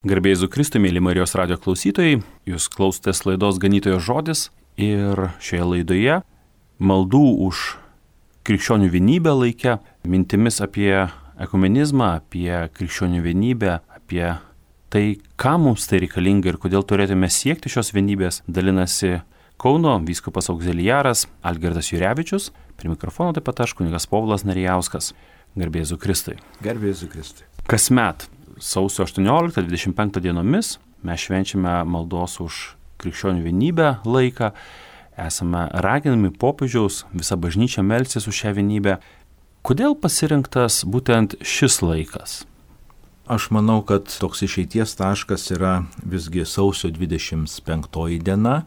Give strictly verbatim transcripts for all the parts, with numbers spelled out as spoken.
Garbė Jėzui Kristui, mėly Marijos radijo klausytojai, jūs klausotės laidos Ganytojo žodis ir šioje laidoje maldų už krikščionių vienybę laike, mintimis apie ekumenizmą, apie krikščionių vienybę, apie tai, kam mums tai reikalinga ir kodėl turėtume siekti šios vienybės, dalinasi Kauno vyskupas Augziliaras Algirdas Jurevičius, prie mikrofono taip pat aš, kunigas Povilas Narijauskas. Garbė Jėzui Kristui. Garbė Jėzui Kristui. Kasmet sausio aštuonioliktą dvidešimt penktą dienomis mes švenčiame maldos už krikščionių vienybę laiką. Esame raginami popiežiaus, visa bažnyčia melstis už šią vienybę. Kodėl pasirinktas būtent šis laikas? Aš manau, kad toks išeities taškas yra visgi sausio dvidešimt penktoji diena,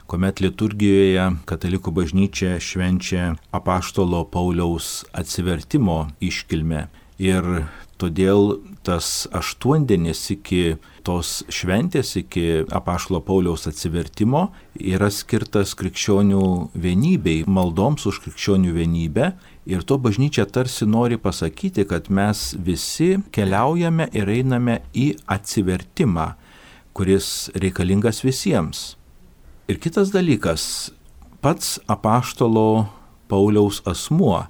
kuomet liturgijoje katalikų bažnyčia švenčia apaštalo Pauliaus atsivertimo iškilmę. Ir todėl tas aštuondienis iki tos šventės, iki apaštalo Pauliaus atsivertimo yra skirtas krikščionių vienybei, maldoms už krikščionių vienybę. Ir to bažnyčia tarsi nori pasakyti, kad mes visi keliaujame ir einame į atsivertimą, kuris reikalingas visiems. Ir kitas dalykas, pats apaštalo Pauliaus asmuo,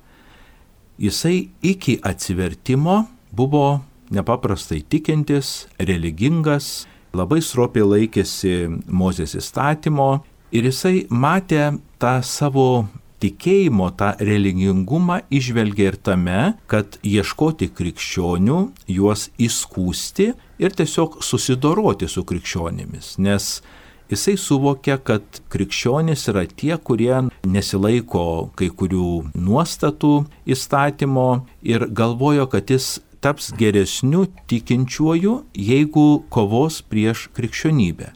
jisai iki atsivertimo buvo nepaprastai tikintis, religingas, labai stropiai laikėsi Mozės įstatymo ir jisai matė tą savo tikėjimo, tą religingumą išvelgė ir tame, kad ieškoti krikščionių, juos įskųsti ir tiesiog susidoroti su krikščionimis, nes jisai suvokia, kad krikščionys yra tie, kurie nesilaiko kai kurių nuostatų įstatymo ir galvojo, kad jis taps geresniu tikinčiuoju, jeigu kovos prieš krikščionybę.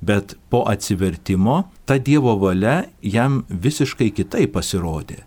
Bet po atsivertimo ta Dievo valia jam visiškai kitaip pasirodė.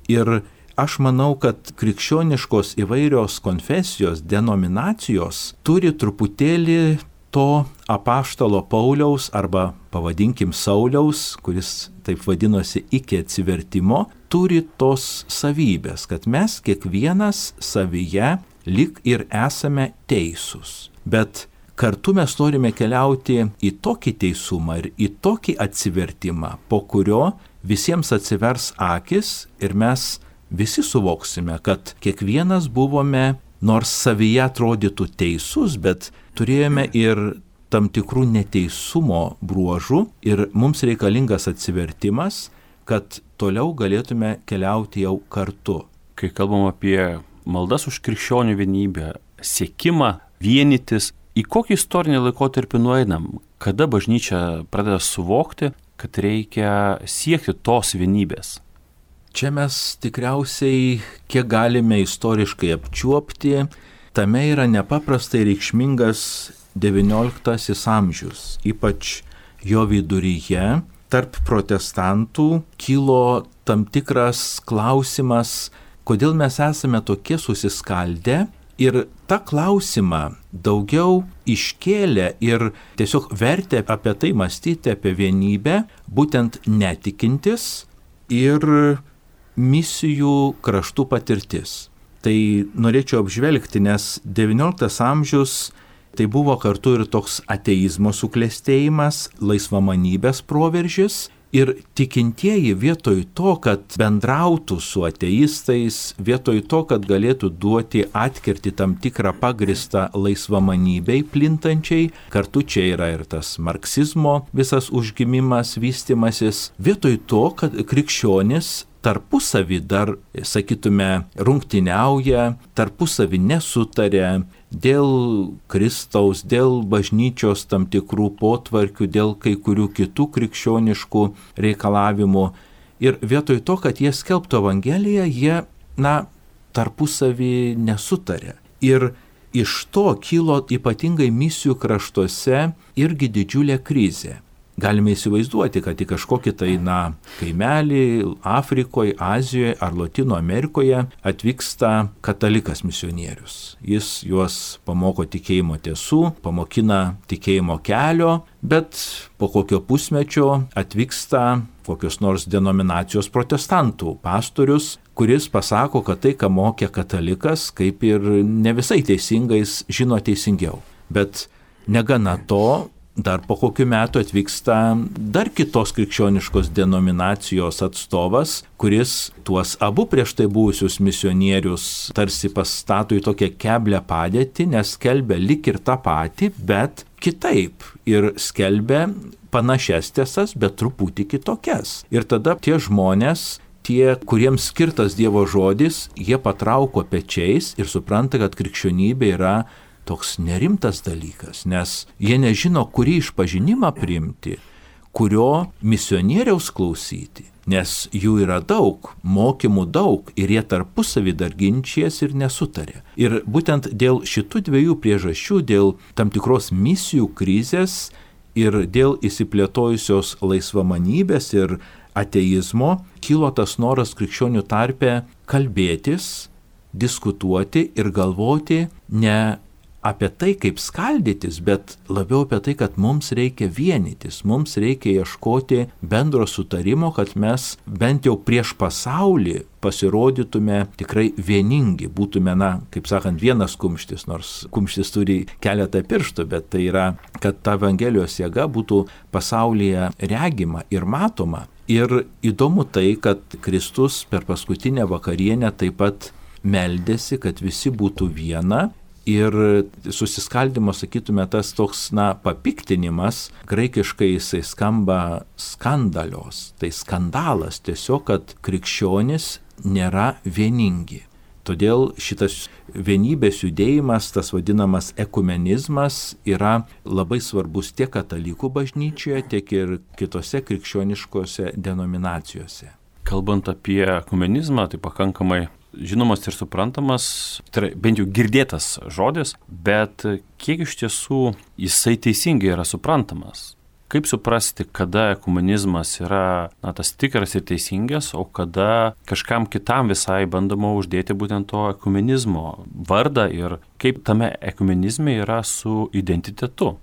Ir aš manau, kad krikščioniškos įvairios konfesijos, denominacijos turi truputėlį to apaštalo Pauliaus arba pavadinkim Sauliaus, kuris taip vadinosi iki atsivertimo, turi tos savybės, kad mes kiekvienas savyje lyg ir esame teisūs. Bet kartu mes norime keliauti į tokį teisumą ir į tokį atsivertimą, po kurio visiems atsivers akis ir mes visi suvoksime, kad kiekvienas buvome, nors savyje atrodytų teisus, bet turėjome ir tam tikrų neteisumo bruožų ir mums reikalingas atsivertimas, kad toliau galėtume keliauti jau kartu. Kai kalbam apie maldas už krikščionių vienybę, siekimą vienytis, į kokį istorinį laikotarpį nueinam, kada bažnyčia pradeda suvokti, kad reikia siekti tos vienybės? Čia mes tikriausiai, kiek galime istoriškai apčiuopti, tame yra nepaprastai reikšmingas devynioliktasis amžius, ypač jo viduryje. Tarp protestantų kilo tam tikras klausimas, kodėl mes esame tokie susiskaldę, ir tą klausimą daugiau iškėlė ir tiesiog vertė apie tai mąstyti, apie vienybę, būtent netikintis ir misijų kraštų patirtis. Tai norėčiau apžvelgti, nes devynioliktas amžius tai buvo kartu ir toks ateizmo suklestėjimas, laisvamanybės proveržis ir tikintieji vietoj to, kad bendrautų su ateistais, vietoj to, kad galėtų duoti atkirti tam tikrą pagristą laisvamanybei plintančiai, kartu čia yra ir tas marksizmo visas užgimimas, vystimasis, vietoj to, kad krikščionis tarpusavį dar, sakytume, rungtyniauja, tarpusavį nesutarė dėl Kristaus, dėl bažnyčios tam tikrų potvarkių, dėl kai kurių kitų krikščioniškų reikalavimų. Ir vietoj to, kad jie skelbtų Evangeliją, jie, na, tarpusavį nesutarė. Ir iš to kilo ypatingai misijų kraštuose irgi didžiulė krizė. Galime įsivaizduoti, kad į kažkokį tai, na, kaimelį Afrikoje, Azijoje ar Lotynų Amerikoje atvyksta katalikas misionierius. Jis juos pamoko tikėjimo tiesų, pamokina tikėjimo kelio, bet po kokio pusmečio atvyksta kokios nors denominacijos protestantų pastorius, kuris pasako, kad tai, ką mokė katalikas, kaip ir ne visai teisingais žino teisingiau. Bet Negana to, dar po kokių metų atvyksta dar kitos krikščioniškos denominacijos atstovas, kuris tuos abu prieš tai buvusius misionierius tarsi pastato į tokią keblią padėtį, nes skelbia lik ir tą patį, bet kitaip. Ir skelbia panašias tiesas, bet truputį kitokias. Ir tada tie žmonės, tie, kuriems skirtas Dievo žodis, jie patrauko pečiais ir supranta, kad krikščionybė yra toks nerimtas dalykas, nes jie nežino, kurį išpažinimą priimti, kurio misionieriaus klausyti, nes jų yra daug, mokymų daug ir jie tarpusavį dar ginčijasi ir nesutarė. Ir būtent dėl šitų dviejų priežasčių, dėl tam tikros misijų krizės ir dėl įsiplėtojusios laisvamanybės ir ateizmo, kilo tas noras krikščionių tarpe kalbėtis, diskutuoti ir galvoti ne apie tai, kaip skaldytis, bet labiau apie tai, kad mums reikia vienytis, mums reikia ieškoti bendro sutarimo, kad mes bent jau prieš pasaulį pasirodytume tikrai vieningi, būtume, na, kaip sakant, vienas kumštis, nors kumštis turi keletą pirštų, bet tai yra, kad ta Evangelijos jėga būtų pasaulyje regima ir matoma. Ir įdomu tai, kad Kristus per paskutinę vakarienę taip pat meldėsi, kad visi būtų viena. Ir susiskaldimo, sakytume, tas toks, na, papiktinimas, graikiškai jisai skamba skandalios, tai skandalas tiesiog, kad krikščionys nėra vieningi. Todėl šitas vienybės judėjimas, tas vadinamas ekumenizmas, yra labai svarbus tiek katalikų bažnyčioje, tiek ir kitose krikščioniškose denominacijose. Kalbant apie ekumenizmą, tai pakankamai žinomas ir suprantamas, tai bent jau girdėtas žodis, bet kiek iš tiesų jisai teisingai yra suprantamas? Kaip suprasti, kada ekumenizmas yra, na, tas tikras ir teisingas, o kada kažkam kitam visai bandoma uždėti būtent to ekumenizmo vardą ir kaip tame ekumenizme yra su identitetu?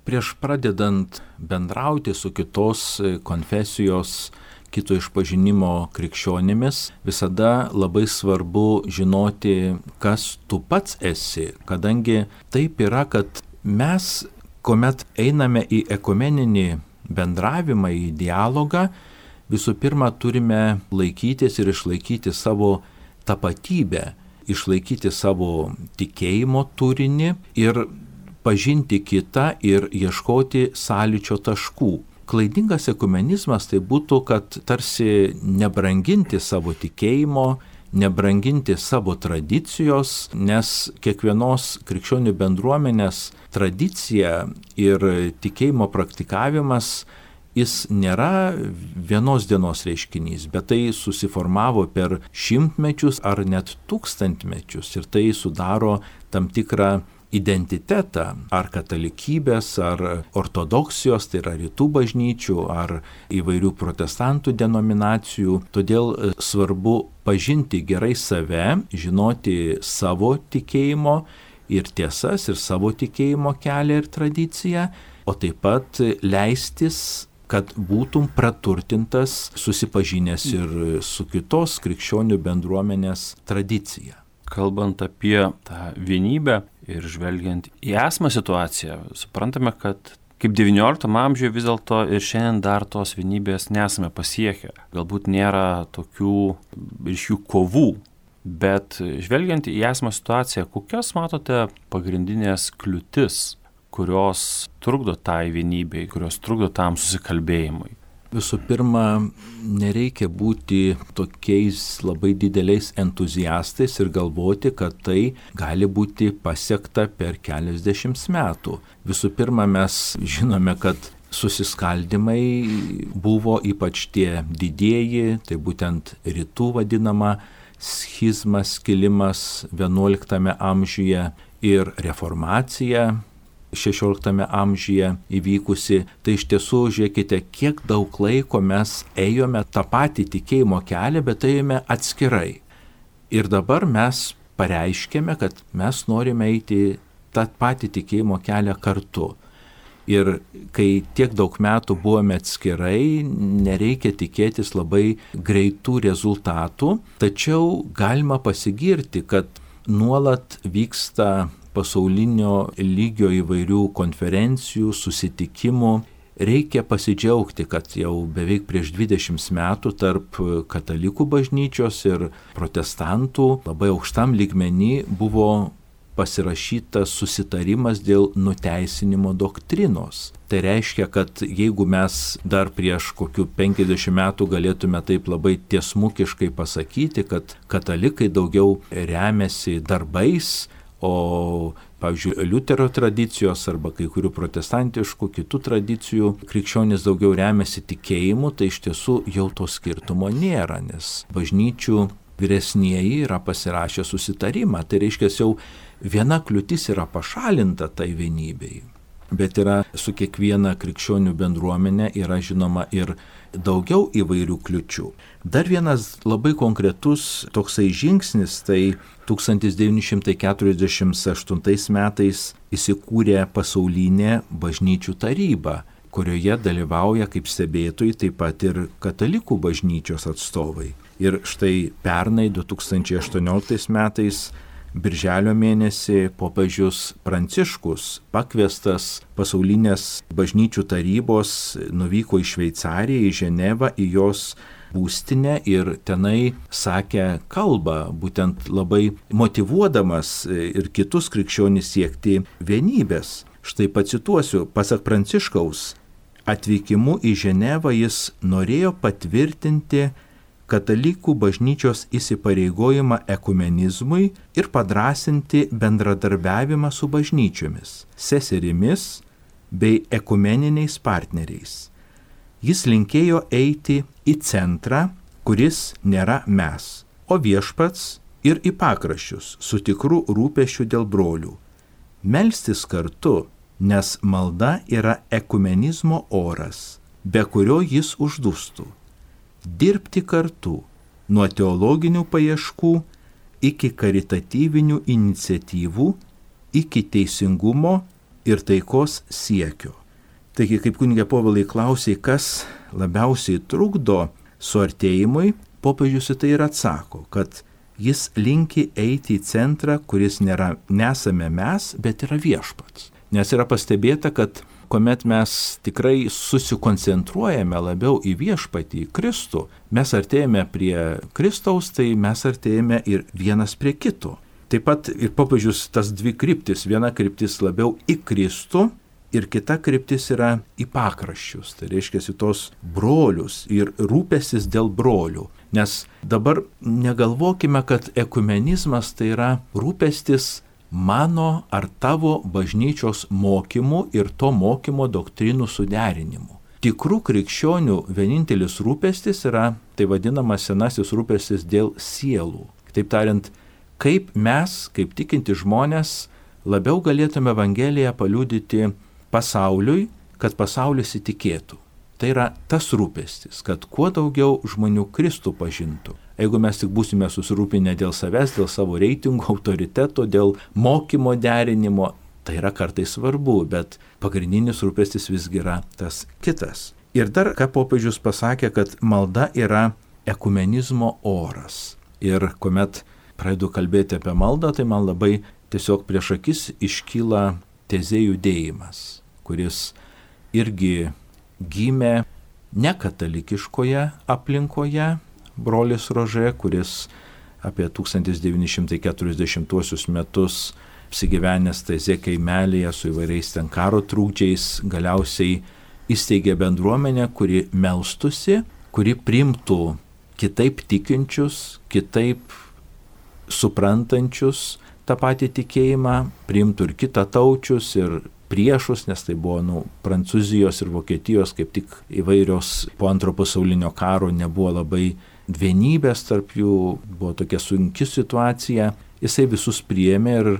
Prieš pradedant bendrauti su kitos konfesijos, kito išpažinimo krikščionimis, visada labai svarbu žinoti, kas tu pats esi, kadangi taip yra, kad mes, kuomet einame į ekumeninį bendravimą, į dialogą, visų pirma turime laikytis ir išlaikyti savo tapatybę, išlaikyti savo tikėjimo turinį ir pažinti kitą ir ieškoti sąlyčio taškų. Klaidingas ekumenizmas tai būtų, kad tarsi nebranginti savo tikėjimo, nebranginti savo tradicijos, nes kiekvienos krikščionių bendruomenės tradicija ir tikėjimo praktikavimas, jis nėra vienos dienos reiškinys, bet tai susiformavo per šimtmečius ar net tūkstantmečius ir tai sudaro tam tikrą identitetą, ar katalikybės, ar ortodoksijos, tai yra rytų bažnyčių, ar įvairių protestantų denominacijų. Todėl svarbu pažinti gerai save, žinoti savo tikėjimo ir tiesas, ir savo tikėjimo kelią ir tradiciją, o taip pat leistis, kad būtum praturtintas, susipažinęs ir su kitos krikščionių bendruomenės tradicija. Kalbant apie tą vienybę ir žvelgiant į esamą situaciją, suprantame, kad kaip devynioliktame amžiuje vis dėlto ir šiandien dar tos vienybės nesame pasiekę. Galbūt nėra tokių ryškių kovų, bet žvelgiant į esamą situaciją, kokias matote pagrindinės kliūtis, kurios trukdo tai vienybei, kurios trukdo tam susikalbėjimui? Visų pirma, nereikia būti tokiais labai dideliais entuziastais ir galvoti, kad tai gali būti pasiekta per keliasdešimt metų. Visų pirma, mes žinome, kad susiskaldimai buvo ypač tie didieji, tai būtent rytų vadinama schizma, skilimas vienuoliktame amžiuje ir reformacija šešioliktame amžiuje įvykusi, tai iš tiesų, žiūrėkite, kiek daug laiko mes ėjome tą patį tikėjimo kelią, bet ėjome atskirai. Ir dabar mes pareiškėme, kad mes norime eiti tą patį tikėjimo kelią kartu. Ir kai tiek daug metų buvome atskirai, nereikia tikėtis labai greitų rezultatų, tačiau galima pasigirti, kad nuolat vyksta pasaulinio lygio įvairių konferencijų, susitikimų. Reikia pasidžiaugti, kad jau beveik prieš dvidešimt metų tarp katalikų bažnyčios ir protestantų labai aukštam lygmenį buvo pasirašytas susitarimas dėl nuteisinimo doktrinos. Tai reiškia, kad jeigu mes dar prieš kokių penkiasdešimt metų galėtume taip labai tiesmukiškai pasakyti, kad katalikai daugiau remiasi darbais, o, pavyzdžiui, Liuterio tradicijos arba kai kurių protestantiškų kitų tradicijų krikščionys daugiau remiasi tikėjimu, tai iš tiesų jau to skirtumo nėra, nes bažnyčių vyresnieji yra pasirašę susitarimą. Tai reiškia, jau viena kliūtis yra pašalinta tai vienybei. Bet yra su kiekviena krikščionių bendruomenė yra žinoma ir daugiau įvairių kliučių. Dar vienas labai konkretus toksai žingsnis, tai tūkstantis devyni šimtai keturiasdešimt aštuntais metais įsikūrė pasaulinė bažnyčių taryba, kurioje dalyvauja kaip stebėtojai taip pat ir katalikų bažnyčios atstovai. Ir štai pernai du tūkstančiai aštuonioliktais metais Birželio mėnesį popiežius Pranciškus, pakviestas pasaulinės bažnyčių tarybos, nuvyko į Šveicariją, į Ženevą, į jos būstinę ir tenai sakė kalbą, būtent labai motyvuodamas ir kitus krikščionis siekti vienybės. Štai pacituosiu, pasak Pranciškaus, atvykimu į Ženevą jis norėjo patvirtinti katalikų bažnyčios įsipareigojimą ekumenizmui ir padrąsinti bendradarbiavimą su bažnyčiomis, seserimis bei ekumeniniais partneriais. Jis linkėjo eiti į centrą, kuris nėra mes, o viešpats, ir į pakraščius su tikru rūpesčiu dėl brolių. Melstis kartu, nes malda yra ekumenizmo oras, be kurio jis uždustų. Dirbti kartu, nuo teologinių paieškų iki karitatyvinių iniciatyvų, iki teisingumo ir taikos siekio. Taigi, kaip kunigė Povilai klausė, kas labiausiai trukdo suartėjimui, popiežius į tai ir atsako, kad jis linki eiti į centrą, kuris nėra, nesame mes, bet yra viešpats. Nes yra pastebėta, kad kuomet mes tikrai susikoncentruojame labiau į viešpatį, į Kristų, mes artėjame prie Kristaus, tai mes artėjame ir vienas prie kito. Taip pat ir popiežius tas dvi kryptis, viena kryptis labiau į Kristų ir kita kryptis yra į pakraščius, tai reiškia į tos brolius ir rūpestis dėl brolių. Nes dabar negalvokime, kad ekumenizmas tai yra rūpestis mano ar tavo bažnyčios mokymų ir to mokymo doktrinų suderinimu. Tikrų krikščionių vienintelis rūpestis yra tai vadinamas senasis rūpestis dėl sielų. Taip tariant, kaip mes, kaip tikinti žmonės, labiau galėtume Evangeliją paliudyti pasauliui, kad pasaulis įtikėtų. Tai yra tas rūpestis, kad kuo daugiau žmonių Kristų pažintų. Jeigu mes tik būsime susirūpinę dėl savęs, dėl savo reitingų, autoriteto, dėl mokymo derinimo, tai yra kartais svarbu, bet pagrindinis rūpestis visgi yra tas kitas. Ir dar, ką popiežius pasakė, kad malda yra ekumenizmo oras. Ir kuomet pradedu kalbėti apie maldą, tai man labai tiesiog prieš akis iškyla tezė judėjimas, kuris irgi gimė nekatalikiškoje aplinkoje, brolis Rožė, kuris apie tūkstantis devyni šimtai keturiasdešimtuosius metus apsigyvenęs Taizė kaimelėje su įvairiais ten karo trūkdžiais, galiausiai įsteigė bendruomenę, kuri melstusi, kuri priimtų kitaip tikinčius, kitaip suprantančius tą patį tikėjimą, priimtų ir kitataučius, ir priešus, nes tai buvo nu, Prancūzijos ir Vokietijos kaip tik įvairios po antro pasaulinio karo nebuvo labai vienybės tarp jų, buvo tokia sunki situacija. Jisai visus priėmė ir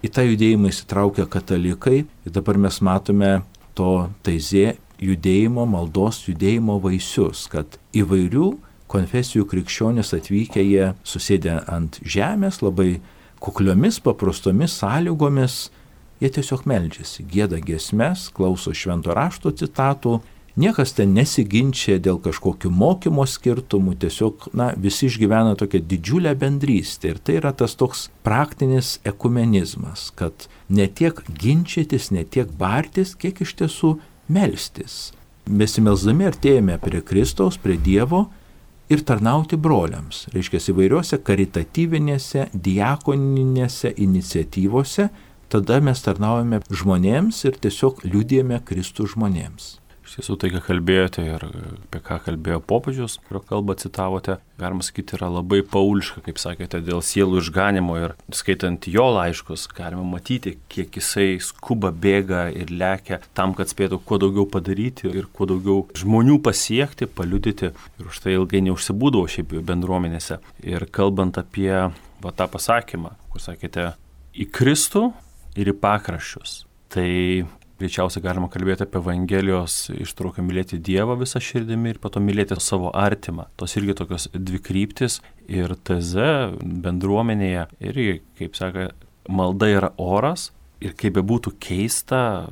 į tą judėjimą įsitraukė katalikai. Ir dabar mes matome to Taizė judėjimo, maldos judėjimo vaisius, kad įvairių konfesijų krikščionys atvykę, jie susėdė ant žemės labai kukliomis, paprastomis sąlygomis. Jie tiesiog meldžiasi, gieda giesmes, klauso švento rašto citatų Niekas ten nesiginčia dėl kažkokių mokymo skirtumų, tiesiog, na, visi išgyvena tokią didžiulę bendrystę. Ir tai yra tas toks praktinis ekumenizmas, kad ne tiek ginčytis, ne tiek bartis, kiek iš tiesų melstis. Besimelsdami artėjame prie Kristaus, prie Dievo ir tarnauti broliams. Reiškia, įvairiuose karitatyvinėse, diakoninėse iniciatyvose, tada mes tarnaujame žmonėms ir tiesiog liudijame Kristų žmonėms. Iš tiesų tai, ką kalbėjote ir apie ką kalbėjo popiežius, kurio kalbą citavote, galima sakyti, yra labai pauliška, kaip sakėte, dėl sielų išganimo ir skaitant jo laiškus, galima matyti, kiek jisai skuba, bėga ir lekia tam, kad spėtų kuo daugiau padaryti ir kuo daugiau žmonių pasiekti, paliudyti ir už tai ilgai neužsibūdavo šiaip bendruomenėse. Ir kalbant apie va, tą pasakymą, kur sakėte, į Kristų ir į pakraščius, tai greičiausiai galima kalbėti apie Evangelijos ištrauką mylėti Dievą visą širdimi ir po to mylėti savo artimą. Tos irgi tokios dvi kryptis ir teze bendruomenėje irgi, kaip sako, malda yra oras ir kaip bebūtų keista,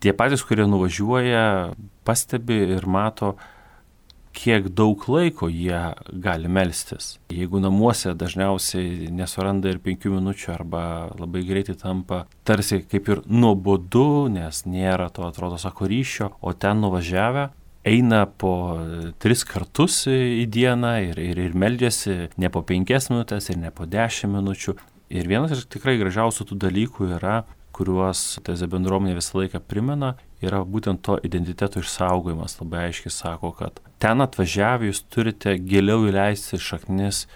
tie patys, kurie nuvažiuoja, pastebi ir mato, kiek daug laiko jie gali melstis. Jeigu namuose dažniausiai nesuranda ir penkių minučių arba labai greitai tampa tarsi kaip ir nuobodu, nes nėra to, atrodo, sako ryšio, o ten nuvažiavę eina po tris kartus į dieną ir, ir, ir meldžiasi ne po penkias minutės ir ne po dešimt minučių. Ir vienas iš tikrai gražiausių tų dalykų yra, kuriuos teze bendruomenė visą laiką primena, yra būtent to identiteto išsaugojimas. Labai aiškiai sako, kad ten atvažiavę jūs turite giliau įleisti šaknis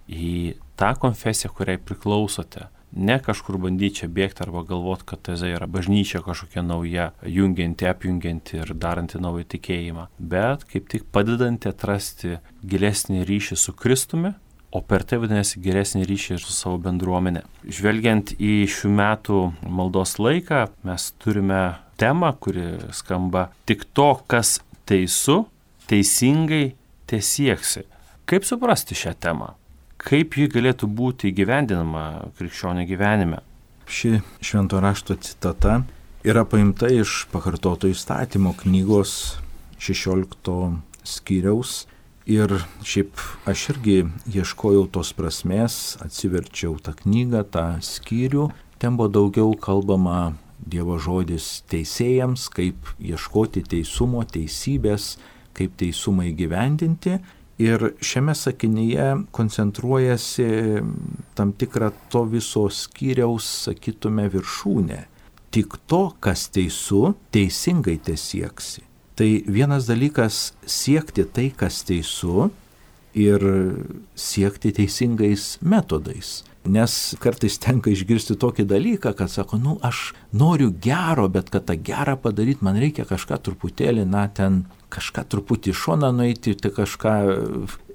į tą konfesiją, kuriai priklausote. Ne kažkur bandyti čia bėgti arba galvoti, kad teze yra bažnyčia kažkokia nauja, jungianti, apjungianti ir daranti naują tikėjimą, bet kaip tik padedanti atrasti gilesnį ryšį su Kristumi, o per tai vadinasi geresnį ryšį ir su savo bendruomenė. Žvelgiant į šių metų maldos laiką, mes turime temą, kuri skamba tik to, kas teisu, teisingai tesieksi. Kaip suprasti šią temą? Kaip ji galėtų būti įgyvendinama krikščionio gyvenime? Ši švento rašto citata yra paimta iš Pakartoto įstatymo knygos šešiolikto skyriaus. Ir šiaip aš irgi ieškojau tos prasmės, atsiverčiau tą knygą, tą skyrių. Ten buvo daugiau kalbama Dievo žodis teisėjams, kaip ieškoti teisumo, teisybės, kaip teisumą įgyvendinti. Ir šiame sakinyje koncentruojasi tam tikrą to viso skyriaus, sakytume, viršūnę. Tik to, kas teisu, teisingai tesieksi. Tai vienas dalykas siekti tai, kas teisu ir siekti teisingais metodais. Nes kartais tenka išgirsti tokį dalyką, kad sako, nu aš noriu gero, bet kad tą gerą padaryti, man reikia kažką truputėlį, na ten kažką truputį į šoną nueiti, tai kažką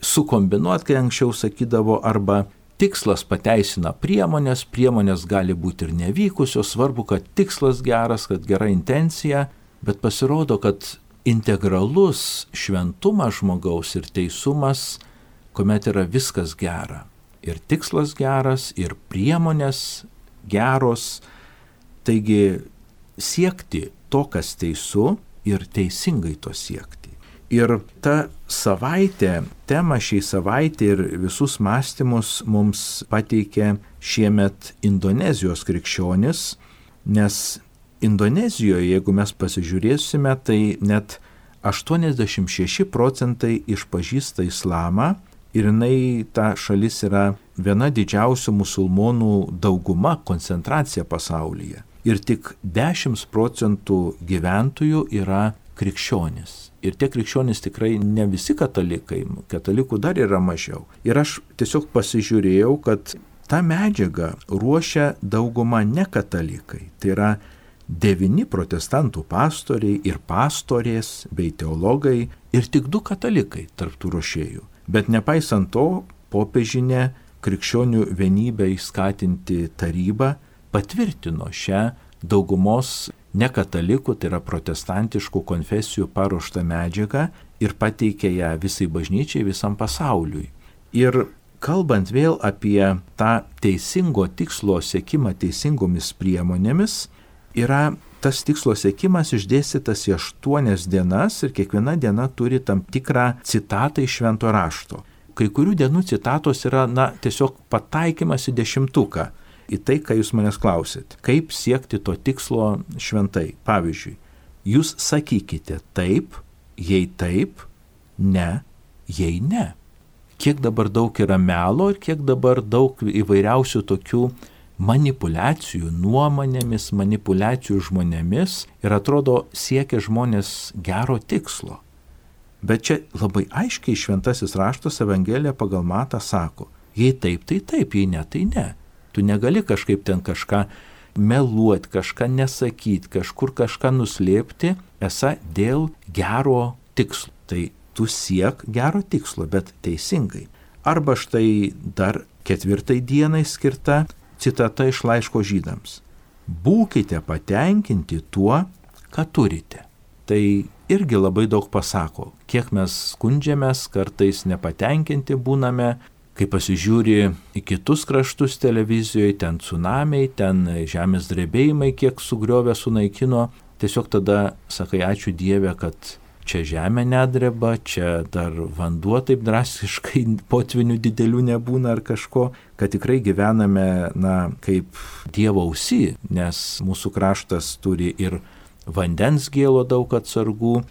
sukombinuoti, kai anksčiau sakydavo, arba tikslas pateisina priemonės, priemonės gali būti ir nevykusios, svarbu, kad tikslas geras, kad gera intencija, bet pasirodo, kad integralus šventumas žmogaus ir teisumas, kuomet yra viskas gera. Ir tikslas geras, ir priemonės geros. Taigi siekti to, kas teisu, ir teisingai to siekti. Ir ta savaitė, tema šiai savaitė ir visus mąstymus mums pateikė šiemet Indonezijos krikščionis, nes Indonezijoje, jeigu mes pasižiūrėsime, tai net aštuoniasdešimt šeši procentai išpažįsta islamą ir jinai, ta šalis yra viena didžiausių musulmonų dauguma, koncentracija pasaulyje. Ir tik dešimt procentų gyventojų yra krikščionys. Ir tie krikščionys tikrai ne visi katalikai, katalikų dar yra mažiau. Ir aš tiesiog pasižiūrėjau, kad tą medžiagą ruošia dauguma ne katalikai. Tai yra devyni protestantų pastoriai ir pastorės bei teologai ir tik du katalikai tarp tų ruošėjų. Bet nepaisant to, popiežinė krikščionių vienybę įskatinti taryba patvirtino šią daugumos nekatalikų, tai yra protestantiškų konfesijų paruoštą medžiagą ir pateikė ją visai bažnyčiai, visam pasauliui. Ir kalbant vėl apie tą teisingo tikslo siekimą teisingomis priemonėmis, yra tas tikslo siekimas išdėstytas į aštuonias dienas ir kiekviena diena turi tam tikrą citatą iš švento rašto. Kai kurių dienų citatos yra, na, tiesiog pataikymas į dešimtuką, į tai, ką jūs manęs klausit. Kaip siekti to tikslo šventai? Pavyzdžiui, jūs sakykite taip, jei taip, ne, jei ne. Kiek dabar daug yra melo ir kiek dabar daug įvairiausių tokių manipulacijų nuomonėmis, manipulacijų žmonėmis ir atrodo siekia žmonės gero tikslo. Bet čia labai aiškiai šventasis raštas Evangelija pagal Matą sako, jei taip, tai taip, jei ne, tai ne. Tu negali kažkaip ten kažką meluoti, kažką nesakyti, kažkur kažką nuslėpti, esą dėl gero tikslo. Tai tu siek gero tikslo, bet teisingai. Arba štai dar ketvirtai dienai skirta citata iš laiško žydams. Būkite patenkinti tuo, ką turite. Tai irgi labai daug pasako. Kiek mes skundžiamės, kartais nepatenkinti būname, kai pasižiūri į kitus kraštus televizijoje, ten tsunamiai, ten žemės drebėjimai, kiek sugriovė, sunaikino. Tiesiog tada sakai, ačiū Dieve, kad čia žemė nedreba, čia dar vanduo taip drastiškai potvinių didelių nebūna ar kažko, kad tikrai gyvename, na, kaip Dievo ausy, nes mūsų kraštas turi ir vandens gėlo daug atsargų.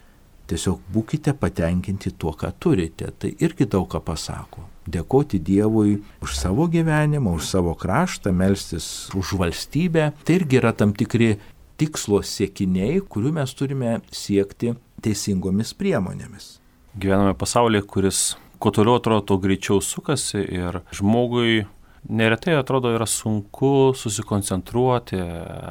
Tiesiog būkite patenkinti tuo, ką turite. Tai irgi daug ką pasako. Dėkoti Dievui už savo gyvenimą, už savo kraštą, melstis už valstybę. Tai irgi yra tam tikri tikslo siekiniai, kurių mes turime siekti teisingomis priemonėmis. Gyvename pasaulyje, kuris kuo toliau atrodo, to greičiau sukasi ir žmogui neretai atrodo yra sunku susikoncentruoti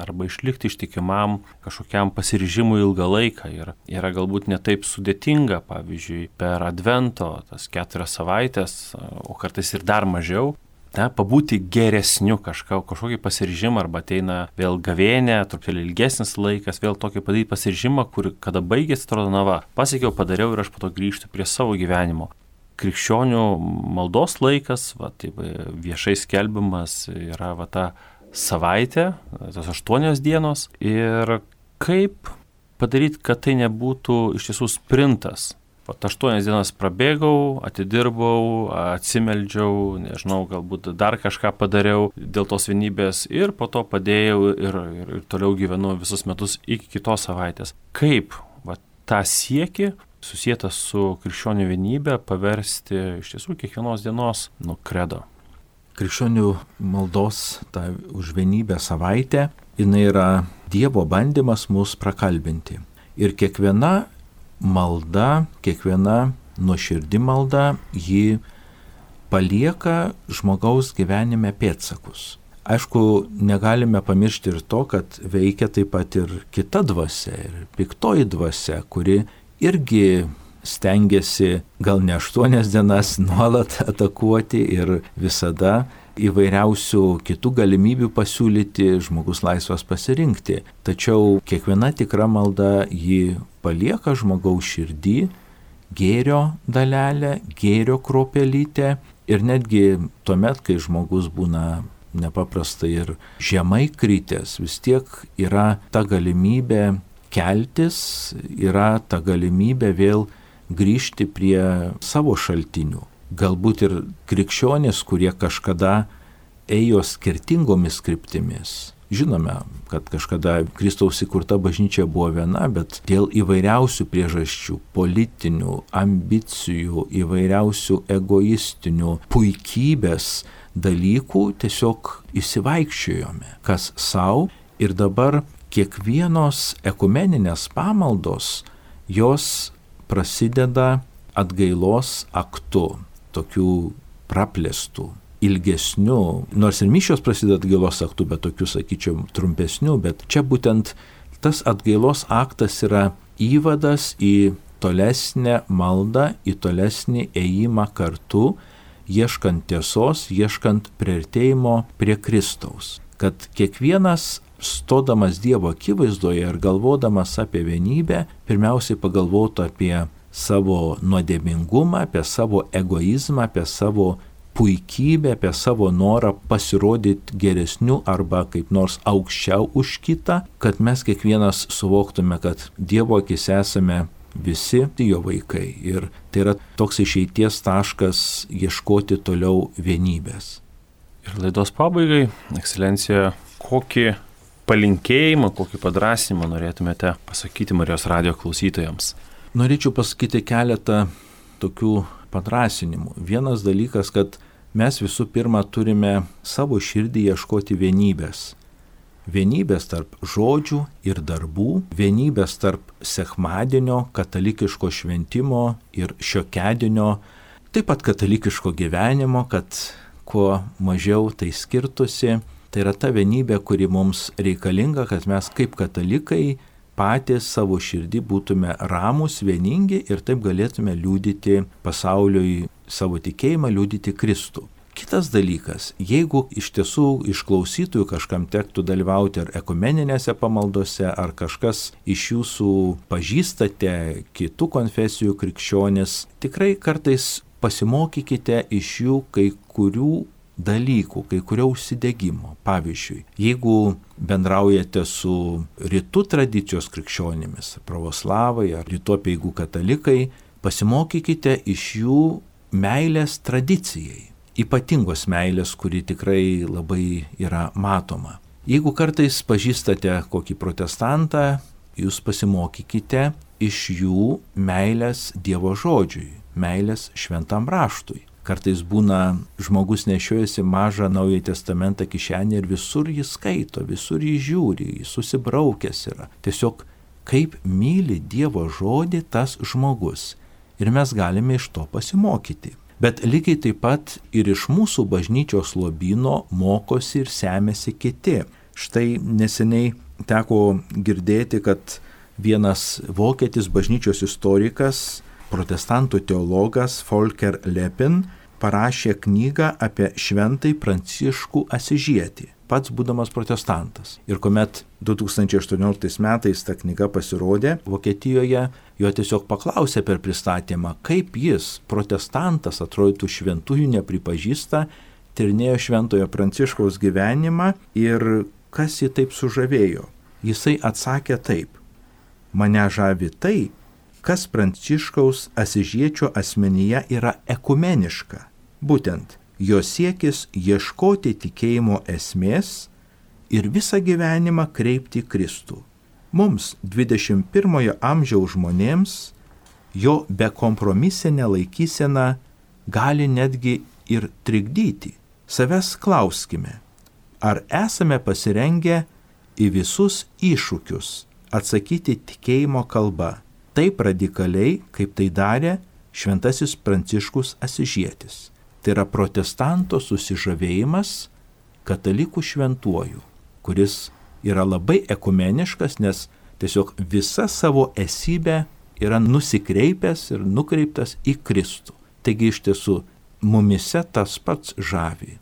arba išlikti ištikimam kažkokiam pasiryžimui ilgą laiką ir yra galbūt netaip sudėtinga, pavyzdžiui, per Advento tas keturias savaitės, o kartais ir dar mažiau, na, pabūti geresniu kažką, kažkokį pasiryžimą arba ateina vėl gavėnė, truputėlį ilgesnis laikas, vėl tokį padaryti pasiryžimą, kur kada baigėsi, atrodo, na va, pasiekiau, padariau ir aš po to grįžtu prie savo gyvenimo. Krikščionių maldos laikas, va, taip, viešai skelbimas yra va, ta savaitė, tos aštuonios dienos ir kaip padaryti, kad tai nebūtų iš tiesų sprintas. Vat aštuonias dienas prabėgau, atidirbau, atsimeldžiau, nežinau, galbūt dar kažką padariau dėl tos vienybės ir po to padėjau ir, ir, ir toliau gyvenu visus metus iki kitos savaitės. Kaip vat, tą siekį susijęs su krikščionių vienybė paversti iš tiesų kiekvienos dienos nu kredo? Krikščionių maldos ta už vienybę savaitė, jinai yra Dievo bandymas mus prakalbinti. Ir kiekviena malda, kiekviena nuoširdi malda, ji palieka žmogaus gyvenime pėdsakus. Aišku, negalime pamiršti ir to, kad veikia taip pat ir kita dvasia, ir piktoji dvasia, kuri irgi stengiasi gal ne aštuonias dienas nuolat atakuoti ir visada įvairiausių kitų galimybių pasiūlyti, žmogus laisvas pasirinkti. Tačiau kiekviena tikra malda ji palieka žmogaus širdį gėrio dalelę, gėrio kruopelytę ir netgi tuomet, kai žmogus būna nepaprastai ir žemai kritęs, vis tiek yra ta galimybė keltis, yra ta galimybė vėl grįžti prie savo šaltinių. Galbūt ir krikščionys, kurie kažkada ėjo skirtingomis kryptimis. Žinome, kad kažkada Kristaus įkurta bažnyčia buvo viena, bet dėl įvairiausių priežasčių, politinių, ambicijų, įvairiausių egoistinių, puikybės dalykų tiesiog įsivaikščiojome, kas savo ir dabar kiekvienos ekumeninės pamaldos, jos prasideda atgailos aktu, tokių praplėstų, ilgesnių, nors ir mišios prasideda atgailos aktu, bet tokių, sakyčiau, trumpesnių, bet čia būtent tas atgailos aktas yra įvadas į tolesnę maldą, į tolesnį ėjimą kartu, ieškant tiesos, ieškant priartėjimo prie Kristaus. Kad kiekvienas stodamas Dievo akivaizdoje ir galvodamas apie vienybę, pirmiausiai pagalvotų apie savo nuodėmingumą, apie savo egoizmą, apie savo puikybę, apie savo norą pasirodyti geresniu arba kaip nors aukščiau už kitą, kad mes kiekvienas suvoktume, kad Dievo akise esame visi jo vaikai. Ir tai yra toks išeities taškas ieškoti toliau vienybės. Ir laidos pabaigai, ekscelencija, kokį palinkėjimą, kokį padrąsinimą norėtumėte pasakyti Marijos radijo klausytojams? Norėčiau pasakyti keletą tokių padrąsinimų. Vienas dalykas, kad mes visų pirma turime savo širdį ieškoti vienybės. Vienybės tarp žodžių ir darbų, vienybės tarp sekmadienio, katalikiško šventimo ir šiokiadienio, taip pat katalikiško gyvenimo, kad kuo mažiau tai skirtusi. Tai yra ta vienybė, kuri mums reikalinga, kad mes kaip katalikai patys savo širdį būtume ramūs, vieningi ir taip galėtume liudyti pasauliui savo tikėjimą, liudyti Kristų. Kitas dalykas, jeigu iš tiesų iš klausytojų kažkam tektų dalyvauti ar ekumeninėse pamaldose, ar kažkas iš jūsų pažįstate kitų konfesijų krikščionis, tikrai kartais pasimokykite iš jų kai kurių dalykų, kai kurio užsidegimo. Pavyzdžiui, jeigu bendraujate su rytų tradicijos krikščionimis, pravoslavai ar rytų apeigų katalikai, pasimokykite iš jų meilės tradicijai, ypatingos meilės, kuri tikrai labai yra matoma. Jeigu kartais pažįstate kokį protestantą, jūs pasimokykite iš jų meilės Dievo žodžiui, meilės šventam raštui. Kartais būna žmogus nešiojasi mažą Naująjį testamentą kišenį ir visur jį skaito, visur jį žiūri, jis susibraukęs yra. Tiesiog kaip myli Dievo žodį tas žmogus. Ir mes galime iš to pasimokyti. Bet lygiai taip pat ir iš mūsų bažnyčios lobyno mokosi ir semėsi kiti. Štai neseniai teko girdėti, kad vienas vokietis bažnyčios istorikas, protestantų teologas Volker Lepin parašė knygą apie šventąjį Pranciškų Asyžietį, pats būdamas protestantas. Ir kuomet du tūkstančiai aštuonioliktais metais ta knyga pasirodė Vokietijoje, jo tiesiog paklausė per pristatymą, kaip jis, protestantas, atrodytų šventųjų nepripažįsta, tyrinėjo šventojo Pranciškaus gyvenimą ir kas jį taip sužavėjo. Jisai atsakė taip: mane žavi tai, kas Pranciškaus Asyžiečio asmenyje yra ekumeniška. Būtent jo siekis ieškoti tikėjimo esmės ir visą gyvenimą kreipti Kristų. Mums, dvidešimt pirmojo amžiaus žmonėms, jo bekompromisinė laikysena gali netgi ir trikdyti. Savęs klauskime, ar esame pasirengę į visus iššūkius atsakyti tikėjimo kalba, taip radikaliai, kaip tai darė šventasis Pranciškus Asyžietis. Tai yra protestanto susižavėjimas katalikų šventuoju, kuris yra labai ekumeniškas, nes tiesiog visa savo esybę yra nusikreipęs ir nukreiptas į Kristų. Taigi iš tiesų mumise tas pats žavi,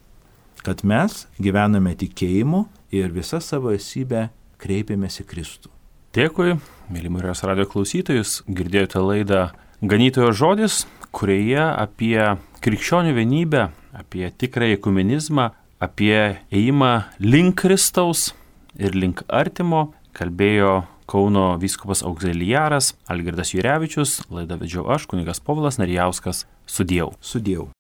kad mes gyvename tikėjimu ir visą savo esybę kreipiamės į Kristų. Dėkui, mėly Marijos radijo klausytojus, girdėjote laidą Ganytojo žodis, kurioje apie krikščionių vienybę, apie tikrąjį ekumenizmą, apie ėjimą link Kristaus ir link artimo kalbėjo Kauno vyskupas auxiliaras Algirdas Jurevičius, laidą vedžiau aš, kunigas Povilas Narijauskas. Sudieu. Sudieu.